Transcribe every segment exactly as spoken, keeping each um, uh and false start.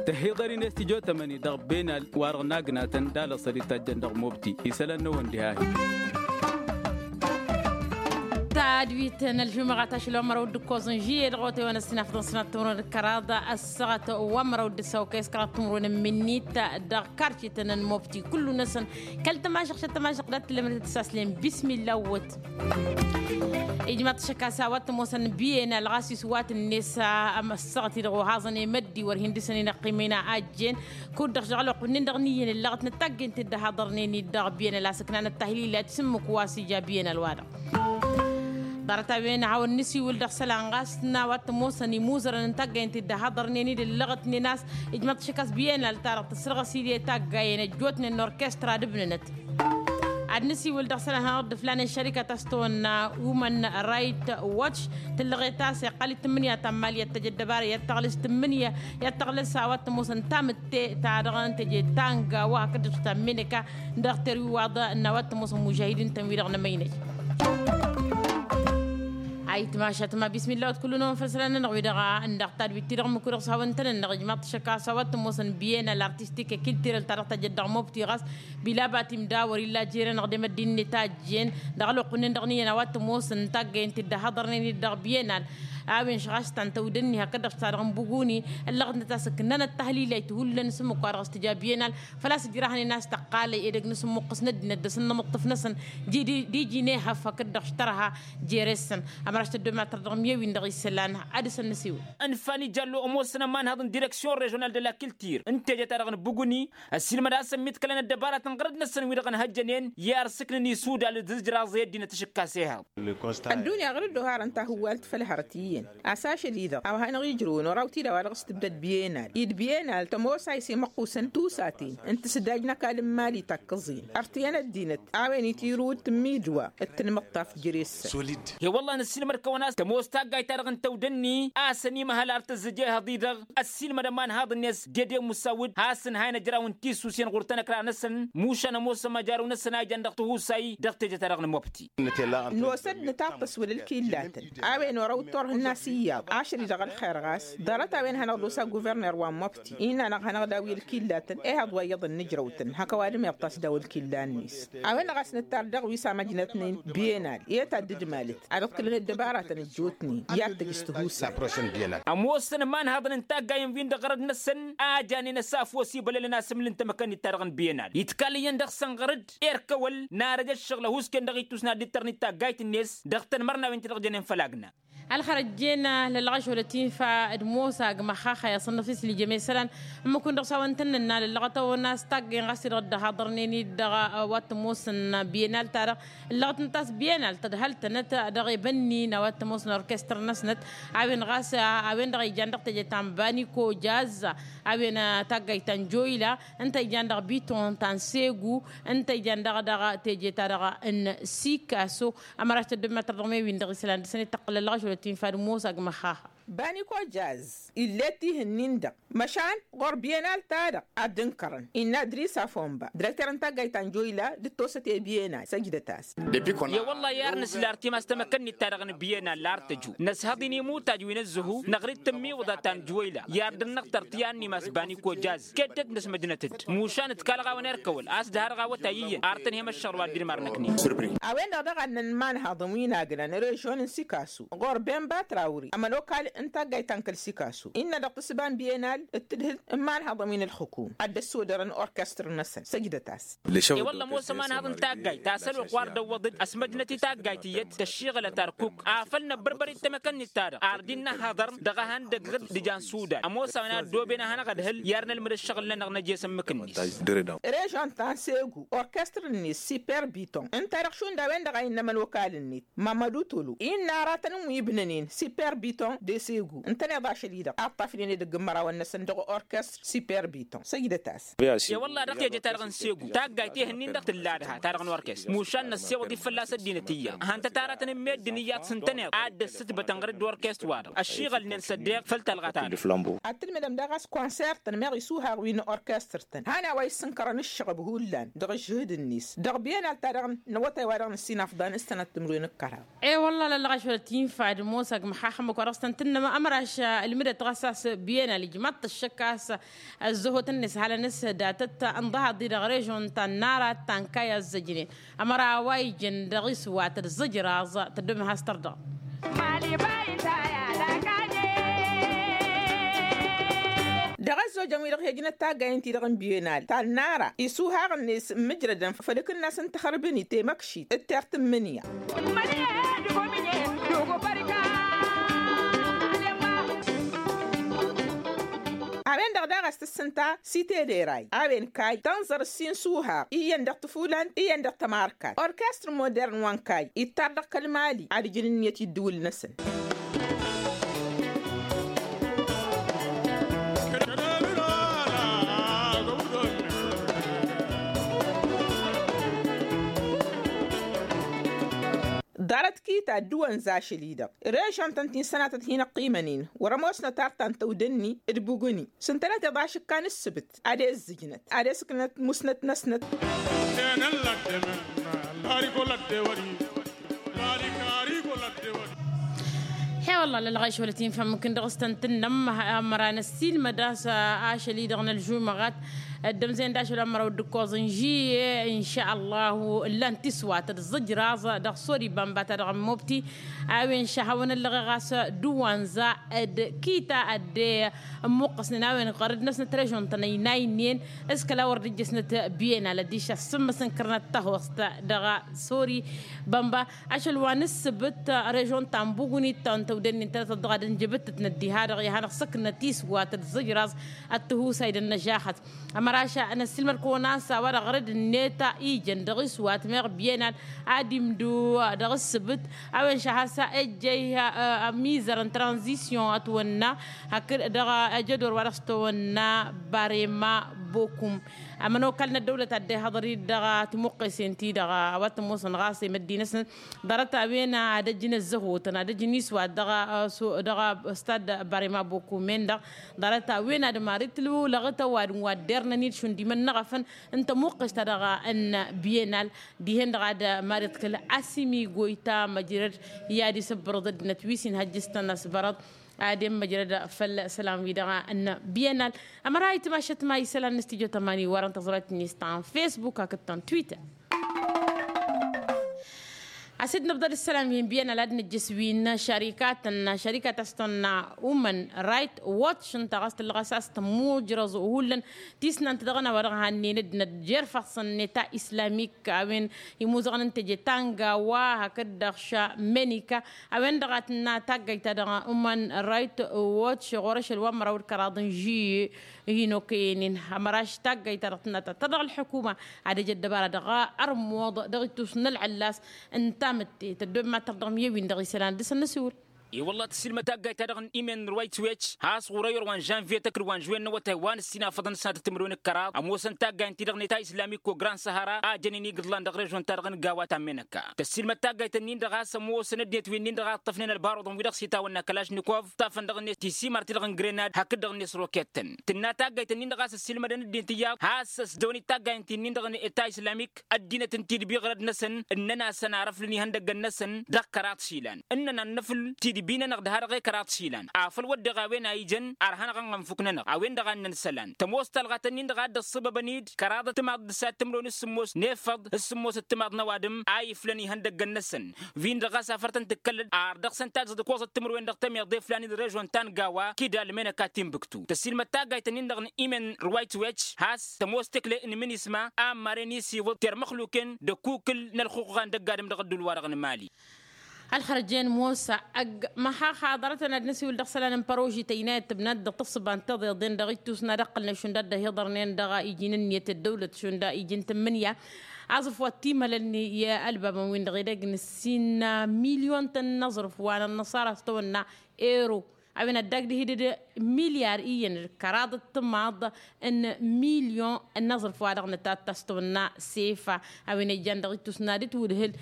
Tăhiḍăr-in s-tijot ămăni dăɣ-benal wa-dăɣ n-agnatăn d-alăṣăr itajjăn dăɣ-mobti isălan n-ăwăn diha-hi. Tadwit n-ălžumăɣa tašlăwăn mărăw d-ǝkkoẓ n-žiyye dăɣ-otewăn ăssinafḍăn sănat timrun d-kăraḍ ăssaɣăt wa n-mărăw d-ǝssawkăy s-kăraḍ timrun n-minnit dăɣ-karcităn n-mobti kullu-năsăn. Kăl-tămažăɣt šăt tămažăɣt dat-tǝllămăd tăt-saslen bismilla wăt. Ijmaḍ-t šăkasa wa t-ămoosăn biyenal ɣas iswat-net. Amăssăɣăt-i-dăɣ ohaẓăn i-măddi wăr hin-dăr-săn inăqqimăyna ajjen kud-dăɣ žăɣlăɣ kunnen dăɣ-niyyăn ǝllăɣăt n-taggent-dd ăhaḍărnen-dd dăɣ-biyenal a-s ǝknanăt tahlila d-sǝmmǝk wa s-ija biyenal-wa-dăɣ. Ḍarăt-a-wen hawăn-nǝsiwǝl dăɣ-isălan ɣas n-a-wa t-ămoosăn imuzărăn n-taggent-dd ăhaḍărnen-dd ǝllăɣătnen a-s ijmăḍ-t šăkkas biyenal-ta-dăɣ tǝssărɣăs-dd i-taggayen ăjjootnen n-orkestra d-ǝbnănăt. Ad-nǝsiwǝl dăɣ-isălan hanăɣ-dd-ǝflanen šărikăt a-s tawănna umăn rayt watš tǝllăɣet a-s iqqal-dd tǝmmǝnǝya ta n-imali i-ad-tăj ăddăbara i-ad-tăɣlǝs tǝmmǝnǝya i-ad-tăɣlǝs a-wa t-ămoosăn tamǝtte ta dăɣ-tăje tanga wa hakd-dăɣ ta n-menăka dăɣ-terwiwaḍ n-a-wa t-ămoosăn mužahidin-tăn-wi-dăɣ n-emăynăj. Ayǝtmašat ma bismilla wăt kullu-năwăn făll-isălan-nănăɣ wi-dăɣ n-dăɣ tadwit-ti-dăɣ ǝmmǝk-wi-dăɣ s-hawăn-tăn-ănnăɣ ijmaḍ-t šăkkas a-wa t-ămoosăn biyenal artistik i-kiltirăl ta dăɣ-tăjjăt dăɣ-mobti ɣas bila batim d-a wăr-illa jere-năɣ d-emăddin-net a ǝjjen dăɣ-ălwăqq-nin-dăɣ n-iyyăn a-wa t-ămoosăn n-taggăyăn-t-dd ăhaḍărnen-dd dăɣ-biyenal. A-wen šăɣ a-s ta n-tăwdănni hakd-dăɣ s-ta-dăɣ n-buguni ǝllăɣăt-năt a-s ǝknănăt tahlilăyt hullan s-ǝmmǝk wa dăɣ-s tǝja biyenal. Făl-a-s ǝjrahnen a-s tăqqalăy edăgg n-asǝmmǝqqǝs n-ăddinăt d-asǝnnămǝṭṭǝf-năsăn d-iji n-ehăf hakd-dăɣ š-tărha jere-săn. Ămăraš tăddomatăr dăɣ-mi ewin dăɣ-isălan ad-dăr-săn nǝsiwǝl. Ănfan ija ăllo ămoosăn ămanhăḍ n-direksyon režional de la kiltir n-teje-ta-dăɣ n-buguni ăssiilmăd a-s ămmiḍkălăn ăddăbaratăn ɣărăd-năsăn wi-dăɣ ǝnhăjjănen i-arsǝknăn isudal d-izjraẓ i-ăddinăt ašǝkkas ehăḍ. Ăddunya ɣărăd-oharăn tahǝwwalt făll-hărăt iyyăn a-s ašăl-i-dăɣ a-wa hanăɣ-ijrǝwăn oraw-t-dd a-wa dăɣ-s tǝbdăd biyenal-i d-biyenal tămoos a isǝmmăqqusăn tusaten n-tǝsdaj n-ăkall n-imali takkăẓin ărtǝyăn ăddinăt a-wen itirǝw d-tǝmmidwa d-tǝnmǝṭṭaf jere-săn. He-wălla-hi năssiilmăd-kăwăn a-s tămoos taggayt-ta-dăɣ n-tăwdănni a-s ănimăhăl ar tǝzzǝj ehăḍ-i-dăɣ ăssiilmăd ămanhaḍ-net dede musawǝd has-ǝnhayăn ăjraw n-tisusen ɣur-tanăkra-năsăn mušan ămoos ămăjarăw-năsăn a ijan dăɣ-tihusay dăɣ-teje-ta-dăɣ n-mobti. Nosă-dd nǝtaṭṭăs wăla ǝlkillatăn a-wen orăw d-turhǝnna s-iyyăḍ ašăl-i-dăɣ ălxer ɣas ḍarăt a-wen hanăɣ-dd-osa guverner wa n-mobti innă-năɣ hanăɣ-daw i-ălkillatăn ehăḍ wa iyyăḍ n-ijrăw-tăn hak ăwadǝm iṭṭas daw ălkilla-net. A-wen-dăɣ a-s nǝttar dăɣ-wi s-amăjnăt n-biyenal i-e-taddǝdmalăt ad-ǝḍkǝlăn ăddăbaratăn ăjjootnen i-ad-tăj s-tihusay. Ămoosăn ămanhăḍăn n-taggayen-win-dăɣ ɣărăd-năsăn a janen ăsaf wa s-ibălălăn asǝmlǝn tamăkănnit-ta-dăɣ n-biyenal itkal iyyăn dăɣ-săn ɣărăd erk-ăwăl n-arăj ăššăɣǝl ăhuusken dăɣ-itusna dd-tărnit taggayt-net dăɣ-tanmărnawen ti-dăɣ jănen făll-agna. Ălxărăt jen lălɣăš wăla tinfa d-mosa g-măxxaxa i-aṣănnăf islijăm i-isălan ǝmmǝk-win-dăɣ s-a-wăn tăn-nǝnna lăllăɣăt-awăn a-s taggayen ɣas-i-dăɣ dd-ăhaḍărnen-dd dăɣ-wa t-ămoosăn biyenal-ta-dăɣ ǝllăɣăt-năt a-s biyenal tădhăl-tănăt dăɣ-ebănni n-a-wa t-ămoosăn orkestăr-năsnăt. A-wen ɣas a-wen-dăɣ ijan dăɣ-teje ta n-baniko jaz a-wen taggayt ta n-joyla ǝnta ijan dăɣ-biton ta n-segu ǝnta ijan dăɣ-dăɣ teje-ta-dăɣ n-sikaso. Ămăraš tăddommătăr dăɣ-me-win-dăɣ isălan dăr-săn ittăqqǝl ălɣăš wăla tinfa d-mosa g-măxxaxa. Baniko jaz ill'-e tihǝnnin-dăɣ măšan ɣur-biyenal-ta-dăɣ ad-dd-ǝnkărăn innă dris afomba direkter n-taggayt ta n-joyla d-tosăt i-biyenal săjdăt-as. I-wălla-hi ar nǝsla ar timas tamăkănnit-ta-dăɣ n-biyenal ar tăju năshăḍ-in imutaj wi n-ăzzăhu năɣri d-tǝmmiwǝḍa ta n-joyla i-ar dd-năɣtăr tiyannim a-s baniko jaz keddăt năsmăjnăt-dd mušan ǝtkalăɣ-awăn erk ăwăl a-s dăharăɣ awătay iyyăn ar tăn-hem ăššăɣǝl wa dd-inmar năknen. A-wen-dăɣ daɣ ad-nǝnmanhăḍ n-wi n-agnăn režon n-sikasu ɣur-ben batrawri ămănokal n-taggayt ta n-kăl-sikasu innă dăɣ-tǝssǝba n-biyenal d-tǝdhǝl n-imanhăḍăn wi n-ǝlxǝkum ad-dd-ăssodărăn orkestăr-năsăn săjdăt-as. I-wălla ămoos ămanhăḍ n-taggayt ta s-ălwăqq wa ărdăwwăḍ-dd ăsmăjnăt i-taggayt iyyăt tăššiɣǝlăt arkuk afăl năbbărbăr-dd tamăkănnit-ta-dăɣ ar dd-innă ăhhăḍărăm dăɣ-ehăndăg ɣǝd d-ijan sudan ămoos a-wen a ăddooben ad-hanăɣ-ădhǝl i-ad-nălmǝd ăššăɣǝl-nănăɣ năjes ǝmmǝk-net. Režon ta n-segu orkestăr-net siper biton ǝnta-dăɣ šund a-wen-dăɣ a innă ămănokal-net mamădu tolo innă aratăn wi ǝbnănen siper biton de Segu ǝntăneḍ ašăl-i-dăɣ a ǝṭṭafnen edăgg n-imărawăn-năsăn dăɣ-orkestr superbiton săjdăt-as. E-wălla dăɣ-teje-ta-dăɣ n-segu taggayt ehăn-in-dăɣ tǝlla dăha-ta-dăɣ n-orkestr mušan năssewăḍ-dd fălla-s ăddinăt iyyăḍ hăn tătaratăn n-meddǝn iyyăḍ s-ǝntăneḍ ad-dd-ăssǝtbătăn ɣur-dd orkestr-wa-dăɣ ăššiɣălnen s-ăddeɣ făll-talɣa-ta-dăɣ. Ad-tǝlmǝdăm daɣ a-s konsertăn meɣ isuhaɣ wi n-orkestr-tăn han a-wa issǝnkărăn ǝššăɣăb hullan dăɣ-ǝžžǝhǝd-net dăɣ-bienal-ta-dăɣ n-awătay wa dăɣ-nǝssinafḍan s-sănăt timǝrwen d-kăraḍ. E-wălla lăllăɣ ašăl tinfa d-mosag măxaxăm ăkk-wa-dăɣ s-tăn-tǝnnăm ămraš ǝlmǝdăt ɣas a-s bienal ijmaḍ-t ăššăk a-s ăzzăhotăn-net halăn-s datăt ǝnḍăhaḍ-i dăɣ-režon ta n-nara ta n-kayy a ǝzzăjnen. Ămăra a-wa ijăn dăɣ-iswat d-zǝjraẓ tăddobem has-tărdăɣ. Dăɣ-ăzzojăn-wi-dăɣ hi-ăjnăt taggayăn-ti-dăɣ n-bienal ta n-nara isuhaɣ-net ǝmmǝjrădăn făll-akǝnnas n-taxărbǝnit temăkšit d-tert n-imǝnya. A-wen-dăɣ daɣ a-s tǝssǝnta site deray a-wen kayy tănẓăr ǝssin s-uhaɣ iyyăn dăɣ-tǝfulant iyyăn dăɣ-tămarkat orkestr modern wa n-kayy ittar dăɣ-kăl-mali ad-ǝjǝn ǝnniyăt i-ǝddǝwǝl-năsăn. Ḍarăt kita ăddǝwăn za ašăl-i-dăɣ režăn-tăn ti n-sănatăt hin-ăqqimăn-in wăr-ămoosnăt artan tăwdănni d-bugǝni s-ǝntănăt iḍašǝkkan ǝssǝbǝt ad-e-ǝzzǝjnăt ad-e-sǝknăt musnăt-năsnăt. He-wălla lălɣayš wăla tinfa mǝmkǝn dăɣ-s tăn-tǝnnăm ămăra năssiilmăd a-s ašăl-i-dăɣ n-ălžumăɣat ăddămzăyăn d-ašăl wa n-măraw d-ǝkkoẓ n-žiyye. Inša ăllahu ǝllan tiswat d-zǝjraẓ dăɣ-sori bamba ta dăɣ-n mobti a-wen šahawăn ăllăɣeɣ a-s dăwanza d-kita ădde ămmuqqăsnen a-wen ɣărăd-năsnăt režon-tăn ăynaynen s-kăla wăr dd-ǝjjăsnăt biyenal ăddiš asǝmmǝs n-kărnăt tăhost dăɣ-sori bamba. Ašăl wa n-ǝssǝbǝt režon ta n-bugunit ta n-tăwdănnin tănătăt dăɣ-ad-ǝnjǝbǝttăt n-ăddiha-dăɣ i-ad-hanăɣ-săknăt iswat d-zǝjraẓ ăttǝhusay d-ănnăžaxăt. Ămăraš năssiilmăd-kăwăn a-s a-wa-dăɣ ɣărăd-net ijăn dăɣ-iswat meɣ biyenal ad-imdǝw dăɣ-ǝssǝbǝt a-wen šăhasa ejjăy ămizăr n-tranzisyon ătwănna hakd dăɣ-ejădor wa dăɣ-s tăwănna barema bokum. Ămănokal n-ăddăwlăt ad-dd-ihăḍăr-dd dăɣ-timuqqesen-ti-dăɣ a-wa t-ămoosăn ɣas i-măddinăsnăt ḍarăt a-wen ad-ăjjǝn ăzzăhotăn ad-ăjjǝn iswat dăɣ-stad barema bokum-en-dăɣ. Ḍarăt a-wen ad-mari tǝlwǝwlăɣăt ăwadǝm wa dd-ernăn-dd šund imănnăɣăfăn n-tămuqqes-ta-dăɣ n-biyenal. Dihen-dăɣ ad-mari tǝkǝl asǝmi goyta măjrăd i-ad-isǝbbărăḍ ăddinăt wi s-inhăjjǝstăn asbărăḍ ad-emmăjrăd făll-isălan-wi-dăɣ n-biyenal. Ămăra itmašăt ma isălan n-studyo tămani wărăn tăẓrăt-net ta n-facebook hakd ta n-twitter. Asǝd nǝbḍăd isălan wi n-biyenal ad-nǝjjǝs wi n-šarikat n-šarikat a-s tăwănna umăn rayt watch ǝnta ɣas tǝllăɣ a-s tămmujrăẓ hullan tisnant dăɣ-năwa dăɣ-hannen ăddinăt jer-făɣsăn n-eta islamik a-wen imuzăɣăn n-teje ta n-gawa hakd-dăɣ ša menika. A-wen-dăɣ a tǝnna taggayt-ta-dăɣ umăn rayt watch ɣur-ašăl wa n-măraw d-kăraḍ n-žiyye. Hin-okăyăn-in ămăraš taggayt-ta-dăɣ tǝnna ta ta dăɣ-ălḥukuma ad-ăj ăddăbara dăɣ-armuḍ dăɣ-ittus n-ălɣăllas. Ǝnta mǝtte tăddob mad-tărdăɣ miye-win-dăɣ isălan dăr-săn n-asǝwǝl. I-wălla tăsilmăd taggayt-ta-dăɣ n-imen n-ruwayt swetch has ɣur-ăyor wa n-žănviye tăkǝd wa n-žwen n-awătay wa n-ǝssinafăḍăn s-ad-tǝtǝmrǝwen d-kăraḍ ămoosăn taggayt-ti-dăɣ n-eta islamik ko grand sahara a jănen igǝḍlan dăɣ-režon-ta-dăɣ n-gawa ta n-menăkka. Tăsilmăd taggayt-ǝnnin-dăɣ a-s ămoosăn ăddinăt wi-nin-dăɣ a ǝṭṭăfnen ălbarăḍăn wi-dăɣ s-itawănna kălažnikof ǝṭṭafăn dăɣ-net tisimar-ti-dăɣ n-grenad hakd-dăɣ-net rokettăn. Tǝnna taggayt-ǝnnin-dăɣ a-s ăssiilmădăn ăddinăt iyyăḍ has-ăsdăwăn-dd taggayt-ǝnnin-dăɣ n-eta islamik ăddinăt n-tidbi ɣărăd-năsăn ǝnnăn-asăn ar ăflǝn ihăndăggăn-năsăn dăɣ-kăraḍ išilan ǝnnăn ad-năfǝl tidbi-nănăɣ dăɣ-ha-dăɣ i-kăraḍ išilan afăl wădden a-wen a ijăn ărhan aɣănɣănfuk-nănăɣ a-wen-dăɣ a ǝnnăn isălan tămoos talɣa tăn-in-dăɣ a dd-ăṣṣăbăbăn-dd kăraḍăt timaḍ d-sat timǝrwen s-sǝmmos n-efăḍ s-sǝmmosăt timaḍ n-ăwadǝm a iflăn ihăndăggăn-năsăn. Wi n-dăɣ a-s afăr tăn-tǝkkălăd ar dăɣ-săn tazăḍ ǝkkoẓăt timǝrwen dăɣ-temeḍe flan-i d-režon ta n-gawa kidal menăka timbuktu tăsilmăd taggayt-ǝnnin-dăɣ n-imen ruwayt wecc has-tămoos tekle n-imǝnisma a ămmaren isiwǝḍ termăxluken d-ăkkukǝl n-ălxuqqa n-dăgg-adǝm dăɣ-ădduul-wa-dăɣ n-mali. Ălxărjen mosa ăgg măxaxa ḍarăt-tăn ad-năsiwǝl dăɣ-isălan n-păroži tăynayăt tǝbnat dăɣ-taṣṣuba n-tiḍeḍen dăɣ-ittus n-ad-ăqqălnen šund a dd-ăhiḍărnen dăɣ-iji n-ǝnniyăt ăddăwlăt šund iji n-tǝmmǝnǝya. Aẓrǝf wa t-imhălălnen i-ălbabăn-win-dăɣ edăgg n-ǝssin milyon-tăn n-aẓrǝf wa n-ănnăṣara s-tawănna ero. A-wen ad-dd-agdǝhǝdăd milyar iyyăn d-kăraḍ d-timaḍ n-milyon n-aẓrǝf wa-dăɣ n-tattăstăwănna sefa. A-wen ijjan dăɣ-ittus n-ad-dd-ǝtwǝd hǝl.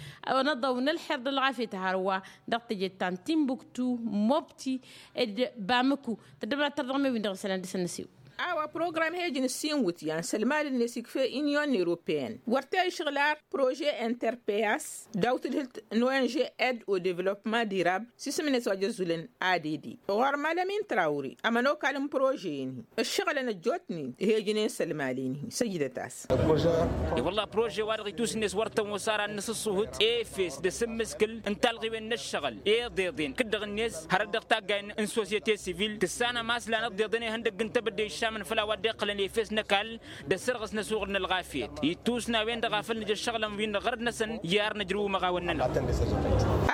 Năḍăw n-ălxer d-ălɣafyăt hărwa dăɣ-teje ta n-timbuktu, mobti, d-bamǝku. Tăddăbănat tărdăɣ mewin dăɣ-isălan dăr-săn năsiw. A-wa program hejăn ǝssin wǝtyan s-ălmal-net ikfe inyon europeyăn wăr t-e-išɣǝl ar projet interpeas daw-tǝdhǝlt n-ong ed o developma dirab s-isǝm-net wa jăzzulăn add. Ɣur-malămin trawri ămănokal n-projet-in-hi ǝššăɣǝlăn ăjjootnen hejăn-en s-ălmal-in-hi săjdăt-as. I-wălla projet-wa-dăɣ itus-net wăr tămoos ara n-asǝṣṣuhǝt efes d-asǝmmǝskǝl n-talɣiwen n-ăššăɣǝl i-iḍeḍen kǝddăɣ-net hărăt dăɣ-taggayen n-sosyete sivil tǝssanăm a-s lan iḍeḍen ihăndăgg n-tebădde iššamăn făll-a-wa dd-iqqălăn efes n-ăkall d-ăssărɣǝs n-asuɣǝl n-ălɣafyăt ittus n-a-wen-dăɣ a făl nǝja ǝššăɣǝlăn wi n-ăɣrǝd-năsăn i-ar năjrǝw imăɣawăn-nănăɣ.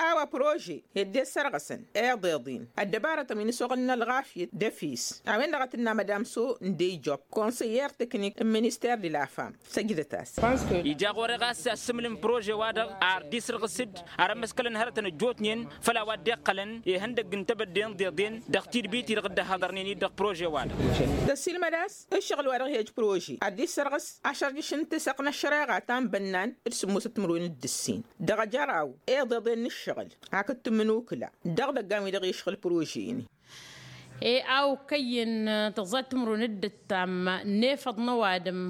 A-wa prože hedde ăssărɣǝsăn i-iḍeḍen ăddăbarătăn wi n-asuɣǝl n-ălɣafyăt d-efes a-wen-dăɣ a tǝnna madam so n-dejop konsăyer teknik n-minister de la fam. Săjdăt-as. Ija ɣur-e ɣas assǝmǝl n-prože-wa-dăɣ ar dd-isǝrɣǝs-dd ar ămmăskălăn hărătăn ăjjootnen făll-a-wa dd-iqqălăn ihăndăgg n-tebădde n-iḍeḍen dăɣ-tidbit-i-dăɣ dd-ăhhăḍărnen-dd dăɣ-prože-wa-dăɣ. Tăssiilmăd a-s ǝššăɣǝl-wa-dăɣ hi-ăj prože ad-dd-issărɣǝs ašărjǝš n-tisăq n-ăššăreɣa ta n-bănnan d-sǝmmosăt timǝrwen d-ǝssin dăɣ-ejăraw iḍeḍen n-ǝššăɣǝl hakd tǝmmǝnukǝla dăɣ-idăggan-wi-dăɣ išɣǝl prože-in-hi. E a okăyyen tăẓẓa timǝrwen d-ǝttam n-efăḍ n-ăwadǝm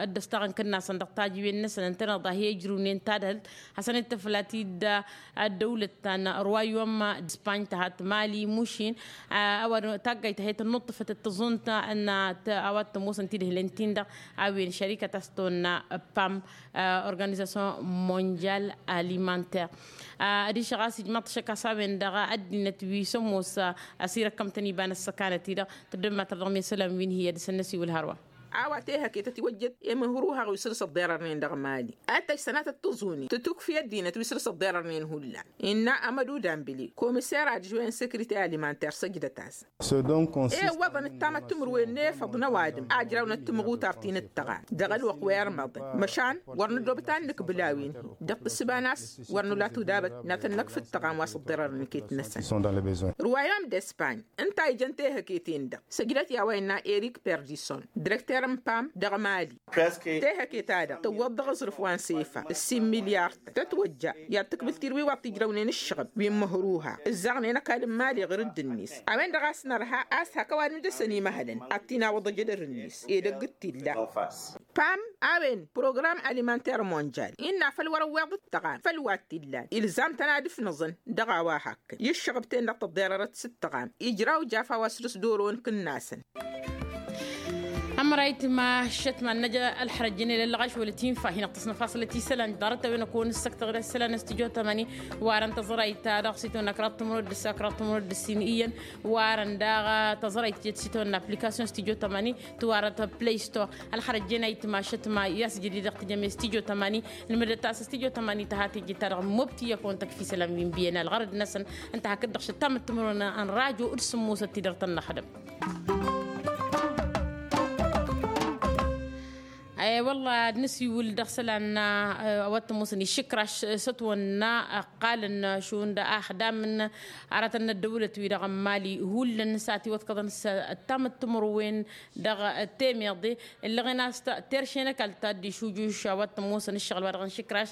dd-ăstaɣ n-kǝnnasăn dăɣ-tajǝwen-năsăn ǝntăneḍ a hi-ijrǝwnen tadhǝlt hasăn-dd-tǝfla tidda ăddăwlăt ta n-ruwayom d-spany tăhat mali mušin. Ăwadǝm taggayt ta he-tănnuṭṭǝfăt d-tăẓunt n-a-wa t-ămoosăn tidhǝlen tin-dăɣ a-wen šărikăt a-s tăwănna pam organizasyon mondyal alimanter. Adiš ɣas ijmaḍ-t ašăk a-s a-wen-dăɣ ăddinăt wi s-ămoos ăsirăkkăm-tăn iba n-ăssăkanăt-i-dăɣ tăddămmatăr dăɣ-mesălan wi n-hi-ad-dăr-săn năsiwǝl hărwa. A-wa tehăke tătiwăjjăt i-imǝhrǝwhaɣ wi săr-s ăḍḍerărnen dăɣ-mali ad-tăjj sănatăt tăẓuni tǝtukfi ăddinăt wi săr-s ăḍḍerărnen hullan innă amădu dambili komiser ad-žwen sekrităr alimanter săjdăt-as. E ǝwwăḍăn ǝttamăt timǝrwen n-efăḍ n-ăwadǝm a ǝjrawnăt timɣutar ti n-ǝttăɣam dăɣ-ălwăqq wi ărmăḍăn măšan wăr nǝddobăt ad-nǝkbǝl a-wen-hi dăɣ-tǝssǝba n-a-s wăr nǝla tudabăt n-ad-tăn-năkf ǝttăɣam wa s-ǝḍḍerărăn iket-năsăn. Ruwayom d-espany ǝnta a ijăn tehăke-ten-dăɣ săjdăt i-a-wa innă erik perdison direkter n-pam dăɣ-mali. Tehăke-ta-dăɣ tǝwwăḍ dăɣ-aẓrǝf wa n-sefa ǝssin milyar-tăn tătwăjja i-ad-tǝkbǝl tidǝw-i wa t-ijrăwnen ǝššăɣǝb wi n-imǝhrǝwha ǝzzaɣnen ăkall n-mali ɣur-dd-net. A-wen-dăɣ a-s nărha a-s hak ăwadǝm dăr-săn imăhălăn ad-t-in-awăḍ ejădăr-net edăgg d-t-illa. Pam a-wen program alimanter mondyal innă făll-wăr-ăwweḍ ǝttăɣam făll-wa t-illan ilzam-tăn ad-ǝfnăẓăn dăɣ-a-wa hakkăn i-ǝššăɣǝb-ten-dăɣ tăḍḍerărăt s-ǝttăɣam ijraw jafa wa săr-s doron kǝnnasăn. Ămăra itma šătma n-năj ălxărăjjăn i-lăllăɣaš wăla tinfa hin-ăɣtăs năfasălăt isălan ḍarăt a-wen ăkăwăn ǝssăktăɣ isălan n-studyo tămani. Warăn tăẓrayt ta dăɣ-s itwănna kăraḍ timǝrwed d-ǝssa kăraḍ timǝrwed d-ǝssin iyyăn warăn daɣ tăẓrayt tijăt s-itwănna aplikasyon studyo tămani tiwarăt play store. Ălxărăjjăn a itma šătma i-a-s jădid dăɣ-tijăme studyo tămani. Nǝmǝdăt a-s studyo tămani tăha teje-ta-dăɣ mobti i-ăkăwăn tăkf isălan wi n-biyyăn ălɣărăd-năsăn ǝnta hakd-dăɣ šăttamăt timǝrwen n-rajo d-sǝmmosăt tidăr-tăn n-ăxdăm. Wălla ad-nǝsiwǝl dăɣ-isălan a-wa t-ămoosăn išǝkraš s-ătwănna ăqqalăn šund axdam n-aratăn n-ăddăwlăt-wi-dăɣ n-mali hullan s-ad-tiwăḍkăḍăn s-ăttamăt timǝrwen dăɣ-temeḍe. Ǝllăɣen a-s terše n-ăkall ta dd-išujuš a-wa t-ămoosăn ǝššăɣǝl-wa-dăɣ n-išǝkraš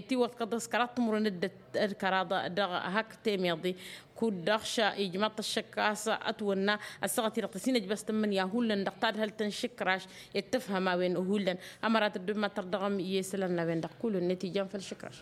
tiwăḍkăḍ s-kăraḍ timǝrwen d-kăraḍ dăɣ-hak temeḍe. Kud-dăɣ š-ijmăḍ-t ăššăk a-s ătwănna ăssaɣăt-i-dăɣ tăsinăjbăs tǝmmǝnǝya hullan dăɣ-tadhălt n-išǝkraš. Ed tǝfhăm a-wen hullan ămăra tăddommad tărdăɣăm i-isălan n-a-wen-dăɣ kull-net ijan făll-išǝkraš.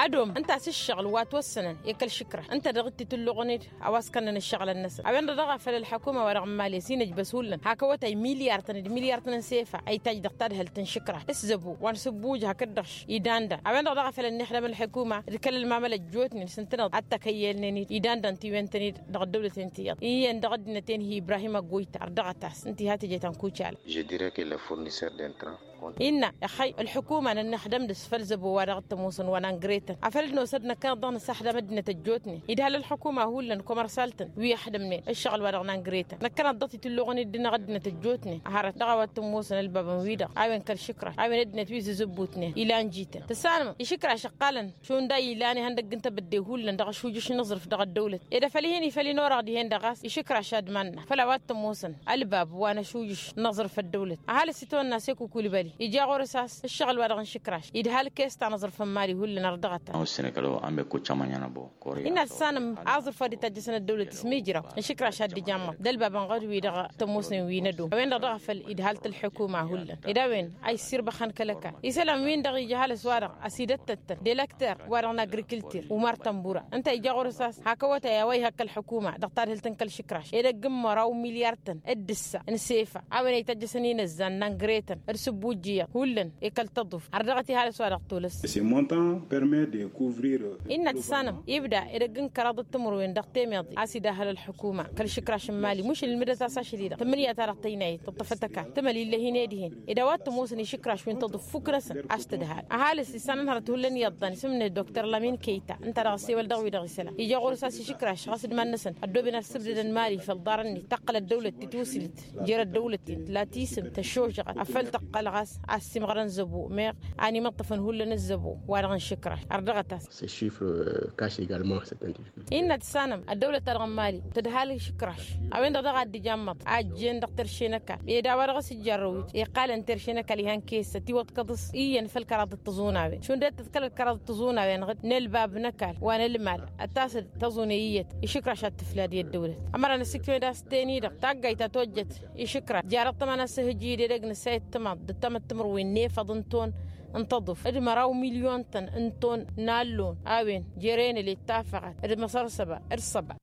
Ad-om ǝnta a-s ǝššăɣǝl wa ătwăssănăn i-kăl-išǝkraš ǝnta dăɣ-t itǝlluɣăn-dd a-wa s-kănnăn ǝššăɣǝlăn-năsăn a-wen-dăɣ dăɣ-a făl ălḥăkuma-wa-dăɣ n-mali ăsinăjbăs hullan hak awătay milyar-tăn d-milyar-tăn n-sefa a itaj dăɣ-tadhălt n-išǝkraš s-zăbo wa n-sǝbbuj hakd-dăɣ idandan a-wen-dăɣ dăɣ-a făl ănnixdăm ălḥăkuma d-kăl-ălmamăl ăjjootnen s-ǝntăneḍ ad-t-ăkăyyălnen-dd idandan tiwen-tăn-dd dăɣ-ăddăwlăten tiyyăḍ iyyăn dăɣ-ăddinăt-en hi-ibrahim ăggoyta ărdăɣăt-as ǝnta iha teje ta n-kucala. Je dirai que le fournisseur d'intrant. Innă ixăy ălḥukuma n-ănnixdăm dăɣ-s făll-zăbo wa dăɣ-t-ămoosăn wa n-angretăn afăl dd-nosăd năkkăneḍ-dăɣ nǝsăxdăm ăddinăt ăjjootnen idhal ălḥukuma hullan komărsal-tăn wi ăxdămnen ǝššăɣǝl wa dăɣ-n angretăn năkkăneḍ-dăɣ titǝlluɣăn-dd dăɣ-ăddinăt ăjjootnen. Hărăt dăɣ-a-wa t-ămoosăn ălbabăn-wi-dăɣ a-wen kăl-išǝkraš a-wen ăddinăt wi zǝzǝbbutnen ilan jităn tǝssanăm išǝkraš ǝqqalăn šund a ilan ihăndăgg n-tebădde hullan dăɣ-ašujǝš n-aẓrǝf dăɣ-ăddăwlăt ed afăl ih'-in ifăl inorăɣ dihen-dăɣ ɣas išǝkraš ad-iman-năɣ făll-a-wa t-ămoosăn ălbab wa n-ašujǝš n-aẓrǝf ăddăwlăt ăhalǝs itwănna s-ekukul băli ija ɣur-s a-s ǝššăɣǝl wa dăɣ-n išǝkraš idhal kes ta n-aẓrǝf n-imali hullan ărdăɣăt-as. Innă tǝssanăm aẓrǝf wa dd-itajjăsăn ăddăwlăt s-mijraw n-išǝkraš ad-dd-ija ămmăḍ d-ălbabăn ɣur-wi-dăɣ tămoosnen wi n-ădom a-wen-dăɣ dăɣ-afăl idhal-t ălḥukuma hullan ed a-wen a issirba xăn kăl-ăkall isălan-win-dăɣ ija ăhalǝs-wa-dăɣ ăsidăttăttăn d-elăkter wa dăɣ-n-agrikǝltir umar tănbura ǝnta ija ɣur-s a-s hak awătay a-wa ihăkk ălḥukuma dăɣ-tadhǝlt n-kăl-išǝkraš edăgg n-măraw milyar-tăn d-ǝssa n-sefa a-wen a ităjjăsăn inǝzzan n-angretăn d-sǝbbujjǝyăḍ hullan i-kăl-tăḍuf ărdăɣăt ihalǝs-wa-dăɣ tolăs. Innă tǝssanăm ibda edăgg n-kăraḍ d-timǝrwen dăɣ-temeḍe a-s idahăl ălḥukuma kăl-išǝkraš n-imali mušǝl ǝlmǝdăt-as ašăl-i-dăɣ tǝmmǝnǝya-ta-dăɣ tăynayăt tǝṭṭăfăt ăkall tǝmăl ill'-e-hin ed ihen ed a-wa t-ămoosăn išǝkraš wi n-tăḍǝf fukk-năsăn a-s tǝdhal ăhalǝs isănănhărăt hullan iyyăḍḍan isǝmnet doktor lamin kăyta ǝnta dăɣ-ăssewăl dăɣ-wi-dăɣ isălan ija ɣur-s a-s išǝkraš ɣas d-iman-năsăn ăddooben ad-sǝbdădăn imali făll-iḍarăn-net tăqqăl ăddăwlăt titwǝsǝlt jer-ăddăwlăt-net la tisǝm tăššožăɣăt afăl tăqqăl ɣas a ăssiimɣărăn zăbo meɣ a n-imǝṭṭăfăn hullan ăzzăbo wa-dăɣ n-išǝkraš ărdăɣăt-as. Innă tǝssanăm ăddăwlăt-ta-dăɣ n-imali tǝdhal išǝkraš a-wen-dăɣ daɣ a dd-ija ămmăḍ a ăjjeen dăɣ-terše n-ăkall ed a-wa dăɣ-s ǝjjărrăwit iqqalăn terše n-ăkall ihăn kessăt iwăḍkăḍ-s iyyăn făll-kăraḍ d-tiẓunawen šund dd-tǝḍkălăt kăraḍ d-tiẓunawen-dăɣ n-ălbab n-ăkall wa n-ălmal ătasăd tăẓune iyyăt išǝkraš ad-tǝflad i-ăddăwlăt. Ămăra n-ăssǝkmăd a-s teni-dăɣ taggayt ta tojjăt išǝkraš jarăḍ tămăna s-ehǝjǝy d-edăgg n-ăssayăt timaḍt d-tamăttǝmărwen n-efăḍ n-ton n-tăḍuf d-măraw milyon-tăn n-ton n-allon a-wen jere n-ăllet tafăɣat d-măsărsăba d-săba.